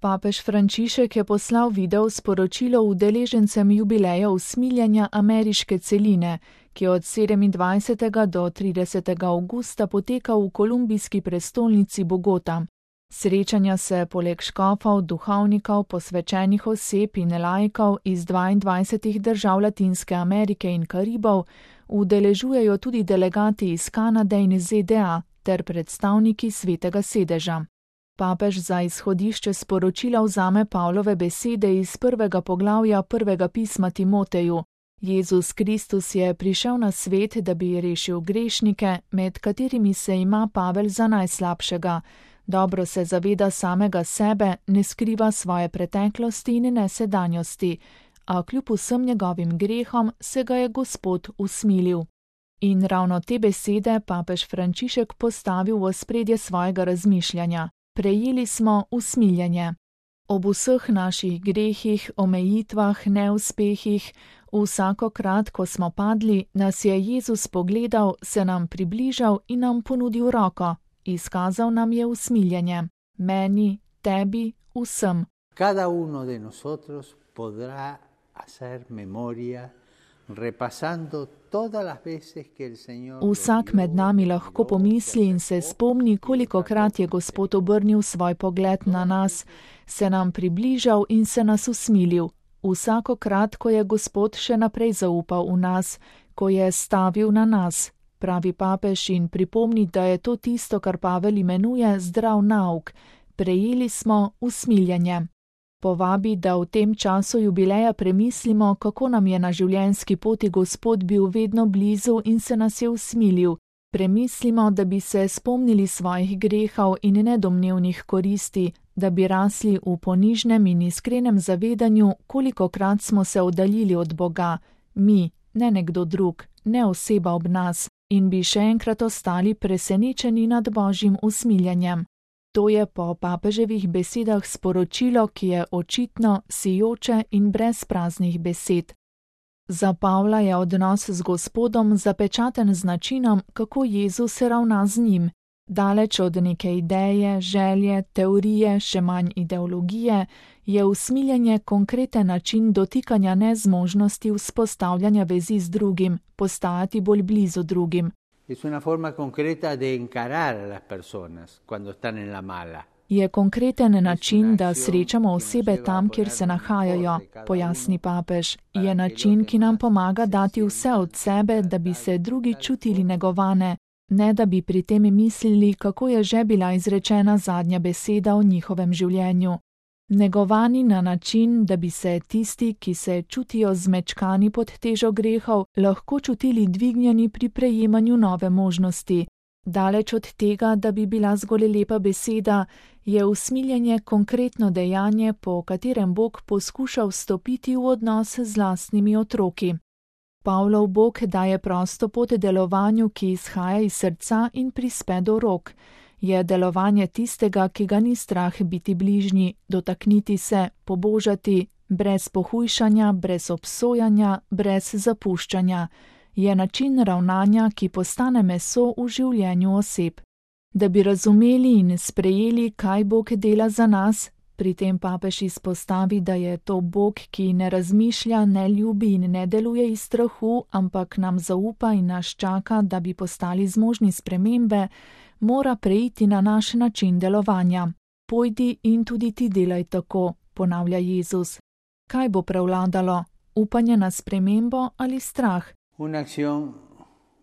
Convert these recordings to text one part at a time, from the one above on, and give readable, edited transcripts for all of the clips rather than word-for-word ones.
Papež Frančišek je poslal video sporočilo udeležencem jubileja usmiljenja ameriške celine, ki je od 27. do 30. avgusta potekal v kolumbijski prestolnici Bogota. Srečanja se poleg škofov, duhovnikov, posvečenih oseb in laikov iz 22 držav Latinske Amerike in Karibov udeležujejo tudi delegati iz Kanade in ZDA ter predstavniki Svetega sedeža. Papež za izhodišče sporočila vzame Pavlove besede iz 1. poglavja 1. pisma Timoteju. Jezus Kristus je prišel na svet, da bi rešil grešnike, med katerimi se ima Pavel za najslabšega. Dobro se zaveda samega sebe, ne skriva svoje preteklosti in ne sedanjosti, a kljub vsem njegovim grehom se ga je Gospod usmilil. In ravno te besede papež Frančišek postavil v ospredje svojega razmišljanja. Prejeli smo usmiljenje. Ob vseh naših grehih, omejitvah, neuspehih, vsakokrat, ko smo padli, nas je Jezus pogledal, se nam približal in nam ponudil roko. Izkazal nam je usmiljenje. Meni, tebi, vsem. Cada uno de nosotros podrá hacer memoria repasando todas las veces que el Señor. Vsak med nami lahko pomisli in se spomni, kolikokrat je Gospod obrnil svoj pogled na nas, se nam približal in se nas usmilil. Vsakokrat, ko je Gospod še naprej zaupal v nas, ko je stavil na nas. Pravi papež in pripomni, da je to tisto, kar Pavel imenuje zdrav nauk. Prejeli smo usmiljenje. Povabi, da v tem času jubileja premislimo, kako nam je na življenjski poti Gospod bil vedno blizu in se nas je usmilil. Premislimo, da bi se spomnili svojih grehov in nedomnevnih koristi, da bi rasli v ponižnem in iskrenem zavedanju, kolikokrat smo se oddaljili od Boga, mi, ne nekdo drug, ne oseba ob nas, in bi še enkrat ostali presenečeni nad Božjim usmiljenjem. To je po papeževih besedah sporočilo, ki je očitno, sijoče in brez praznih besed. Za Pavla je odnos z Gospodom zapečaten z načinom, kako Jezus ravna z njim. Daleč od neke ideje, želje, teorije, še manj ideologije, je usmiljenje konkreten način dotikanja nezmožnosti vzpostavljanja vezi z drugim, postajati bolj blizu drugim. Es una forma concreta de encarar a las personas cuando están en la mala. Je konkreten način, da srečamo osebe tam, kjer se nahajajo, pojasni papež. Je način, ki nam pomaga dati vse od sebe, da bi se drugi čutili negovane, ne da bi pri tem mislili, kako je že bila izrečena zadnja beseda o njihovem življenju. Negovani na način, da bi se tisti, ki se čutijo zmečkani pod težo grehov, lahko čutili dvignjeni pri prejemanju nove možnosti. Daleč od tega, da bi bila zgolj lepa beseda, je usmiljenje konkretno dejanje, po katerem Bog poskuša vstopiti v odnos z lastnimi otroki. Pavlov Bog daje prosto pot delovanju, ki izhaja iz srca in prispe do rok. Je delovanje tistega, ki ga ni strah biti bližnji, dotakniti se, pobožati, brez pohujšanja, brez obsojanja, brez zapuščanja. Je način ravnanja, ki postane meso v življenju oseb. Da bi razumeli in sprejeli, kaj Bog dela za nas, pri tem papež izpostavi, da je to Bog, ki ne razmišlja, ne ljubi in ne deluje iz strahu, ampak nam zaupa in nas čaka, da bi postali zmožni spremembe, mora preiti na naš način delovanja. Pojdi in tudi ti delaj tako, ponavlja Jezus. Kaj bo prevladalo? Upanje na spremembo ali strah? Una acción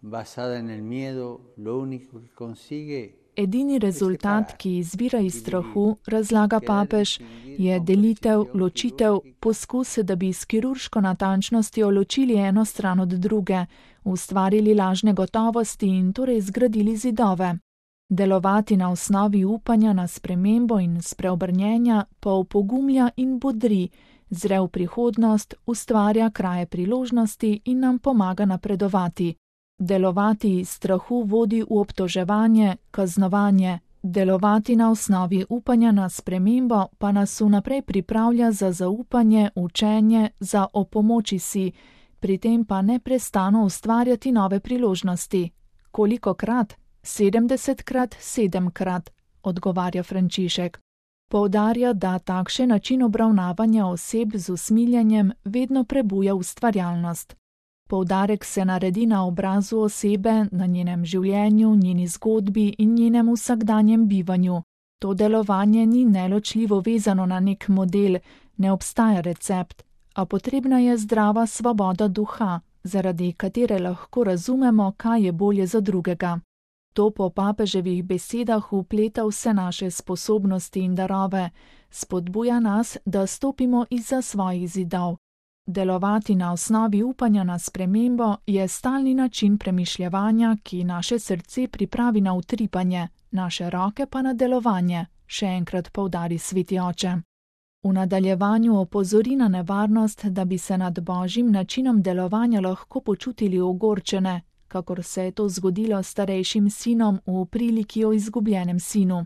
basada en el miedo, lo único que consigue. Edini rezultat, ki izvira iz strahu, razlaga papež, je delitev, ločitev, poskus, da bi s kirurško natančnostjo ločili eno stran od druge, ustvarili lažne gotovosti in torej zgradili zidove. Delovati na osnovi upanja na spremembo in spreobrnjenja pa opogumlja in bodri, zre v prihodnost, ustvarja kraje priložnosti in nam pomaga napredovati. Delovati iz strahu vodi v obtoževanje, kaznovanje. Delovati na osnovi upanja na spremembo pa nas vnaprej pripravlja za zaupanje, učenje, za opomoči si, pri tem pa neprestano ustvarjati nove priložnosti. Kolikokrat? 70-krat, 7-krat, odgovarja Frančišek. Poudarja, da takšen način obravnavanja oseb z usmiljenjem vedno prebuja ustvarjalnost. Poudarek se naredi na obrazu osebe, na njenem življenju, njeni zgodbi in njenem vsakdanjem bivanju. To delovanje ni neločljivo vezano na nek model, ne obstaja recept, a potrebna je zdrava svoboda duha, zaradi katere lahko razumemo, kaj je bolje za drugega. To po papeževih besedah vpleta vse naše sposobnosti in darove, spodbuja nas, da stopimo izza svojih zidov. Delovati na osnovi upanja na spremembo je stalni način premišljevanja, ki naše srce pripravi na utripanje, naše roke pa na delovanje, še enkrat poudari sveti oče. V nadaljevanju opozori na nevarnost, da bi se nad božjim načinom delovanja lahko počutili ogorčene, kakor se je to zgodilo starejšim sinom v priliki o izgubljenem sinu.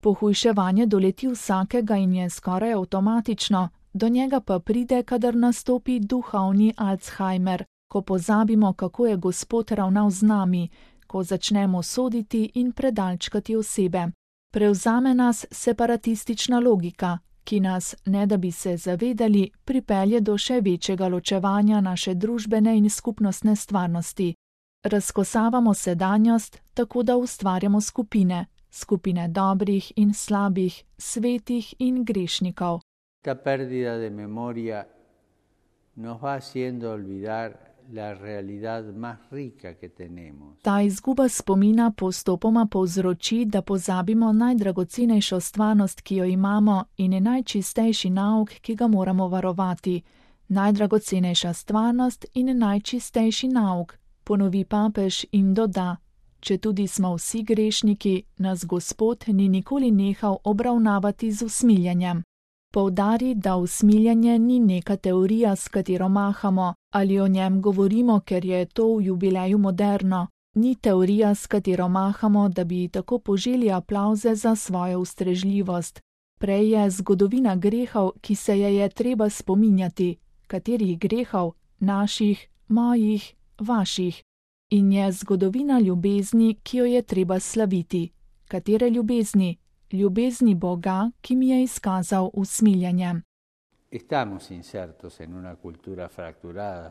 Pohujševanje doleti vsakega in je skoraj avtomatično, do njega pa pride, kadar nastopi duhovni Alzheimer, ko pozabimo, kako je Gospod ravnal z nami, ko začnemo soditi in predalčkati osebe. Prevzame nas separatistična logika, ki nas, ne da bi se zavedali, pripelje do še večjega ločevanja naše družbene in skupnostne stvarnosti. Razkosavamo sedanjost, tako da ustvarjamo skupine dobrih in slabih, svetih in grešnikov. Ta pérdida de memoria nos va haciendo olvidar la realidad más rica que tenemos. Ta izguba spomina postopoma povzroči, da pozabimo najdragocenejšo stvarnost, ki jo imamo, in je najčistejši nauk, ki ga moramo varovati. Najdragocenejša stvarnost in najčistejši nauk, ponovi papež in doda: četudi smo vsi grešniki, nas Gospod ni nikoli nehal obravnavati z usmiljenjem. Poudari, da usmiljanje ni neka teorija, s katero mahamo, ali o njem govorimo, ker je to v jubileju moderno. Ni teorija, s katero mahamo, da bi tako poželi aplavze za svojo ustrežljivost. Prej je zgodovina grehov, ki se je treba spominjati. Katerih grehov? Naših, mojih, vaših. In je zgodovina ljubezni, ki jo je treba slaviti. Katere ljubezni? Ljubezni Boga, ki mi je izkazal usmiljenje. Estamos insertos en una cultura fracturada,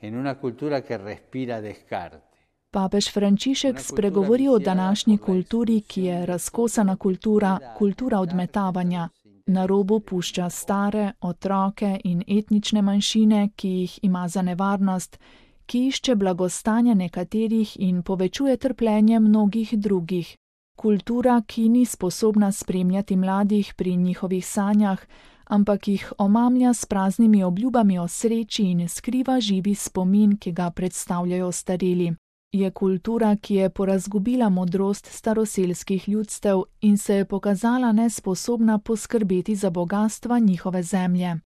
en una cultura que respira descarte. Papež Frančišek spregovori o današnji kulturi, ki je razkosana kultura, kultura odmetavanja. Na robu pušča stare, otroke in etnične manjšine, ki jih ima za nevarnost, ki išče blagostanje nekaterih in povečuje trpljenje mnogih drugih. Kultura, ki ni sposobna spremljati mladih pri njihovih sanjah, ampak jih omamlja s praznimi obljubami o sreči in skriva živi spomin, ki ga predstavljajo ostareli. Je kultura, ki je porazgubila modrost staroselskih ljudstev in se je pokazala nesposobna poskrbeti za bogastva njihove zemlje.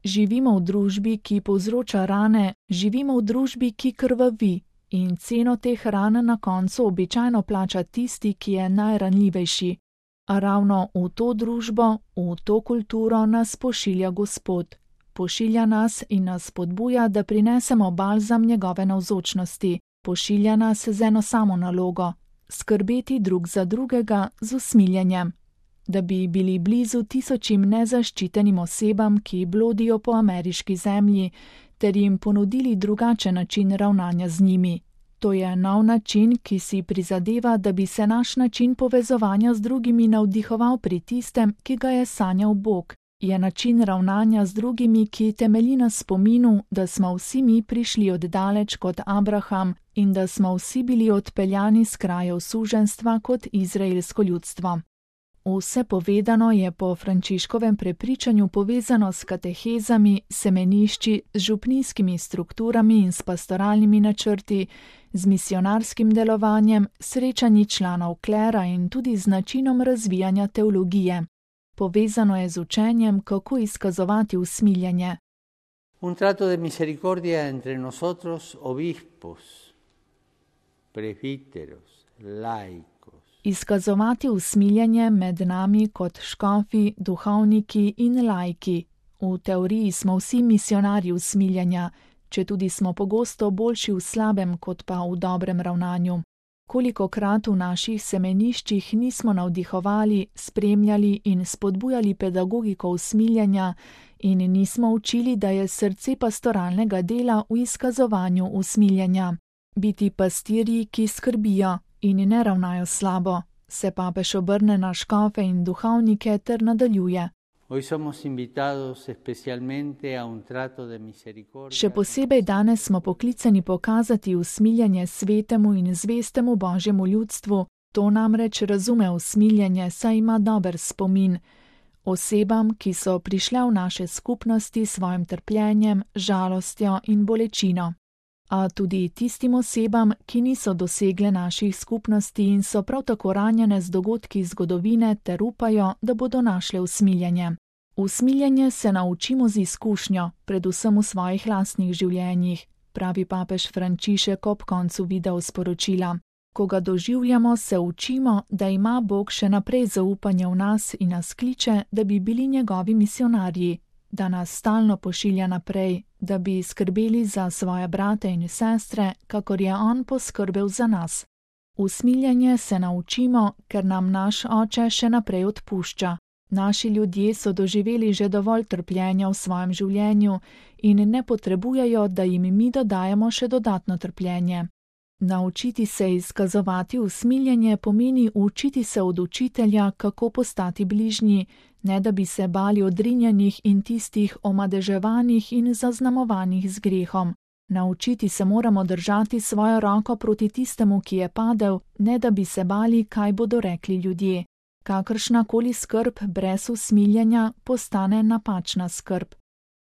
Živimo v družbi, ki povzroča rane, živimo v družbi, ki krvavi. In ceno teh ran na koncu običajno plača tisti, ki je najranljivejši. A ravno v to družbo, v to kulturo nas pošilja Gospod. Pošilja nas in nas spodbuja, da prinesemo balzam njegove navzočnosti. Pošilja nas z eno samo nalogo: skrbeti drug za drugega z usmiljenjem. Da bi bili blizu tisočim nezaščitenim osebam, ki blodijo po ameriški zemlji, ter jim ponudili drugačen način ravnanja z njimi. To je nov način, ki si prizadeva, da bi se naš način povezovanja z drugimi navdihoval pri tistem, ki ga je sanjal Bog. Je način ravnanja z drugimi, ki temelji na spominu, da smo vsi mi prišli od daleč kot Abraham in da smo vsi bili odpeljani s krajev suženjstva kot izraelsko ljudstvo. Vse povedano je po Frančiškovem prepričanju povezano s katehezami, semenišči, z župnijskimi strukturami in s pastoralnimi načrti, z misionarskim delovanjem, srečanji članov klera in tudi z načinom razvijanja teologije. Povezano je z učenjem, kako izkazovati usmiljenje. Un trato de misericordia entre nosotros, obispos, presbíteros, laicos. Izkazovati usmiljenje med nami kot škofi, duhovniki in laiki. V teoriji smo vsi misionarji usmiljenja, četudi smo pogosto boljši v slabem kot pa v dobrem ravnanju. Kolikokrat v naših semeniščih nismo navdihovali, spremljali in spodbujali pedagogiko usmiljenja in nismo učili, da je srce pastoralnega dela v izkazovanju usmiljenja. Biti pastirji, ki skrbijo in ne ravnajo slabo, se papež obrne na škofe in duhovnike ter nadaljuje. Še posebej danes smo poklicani pokazati usmiljenje svetemu in zvestemu Božjemu ljudstvu, to namreč razume usmiljenje, saj ima dober spomin. Osebam, ki so prišle v naše skupnosti s svojim trpljenjem, žalostjo in bolečino. A tudi tistim osebam, ki niso dosegle naših skupnosti in so prav tako ranjene z dogodki zgodovine ter upajo, da bodo našle usmiljenje. Usmiljenje se naučimo z izkušnjo, predvsem v svojih lastnih življenjih, pravi papež Frančišek ob koncu videosporočila. Ko ga doživljamo, se učimo, da ima Bog še naprej zaupanje v nas in nas kliče, da bi bili njegovi misionarji, da nas stalno pošilja naprej, da bi skrbeli za svoje brate in sestre, kakor je on poskrbel za nas. Usmiljenje se naučimo, ker nam naš Oče še naprej odpušča. Naši ljudje so doživeli že dovolj trpljenja v svojem življenju in ne potrebujejo, da jim mi dodajamo še dodatno trpljenje. Naučiti se izkazovati usmiljenje pomeni učiti se od učitelja, kako postati bližnji, ne da bi se bali odrinjenih in tistih omadeževanih in zaznamovanih z grehom. Naučiti se moramo držati svojo roko proti tistemu, ki je padel, ne da bi se bali, kaj bodo rekli ljudje. Kakršnakoli skrb brez usmiljenja postane napačna skrb.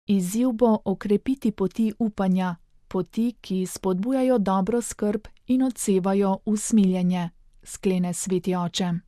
Izziv bo okrepiti poti upanja, poti, ki spodbujajo dobro skrb in odsevajo usmiljenje, sklene sveti oče.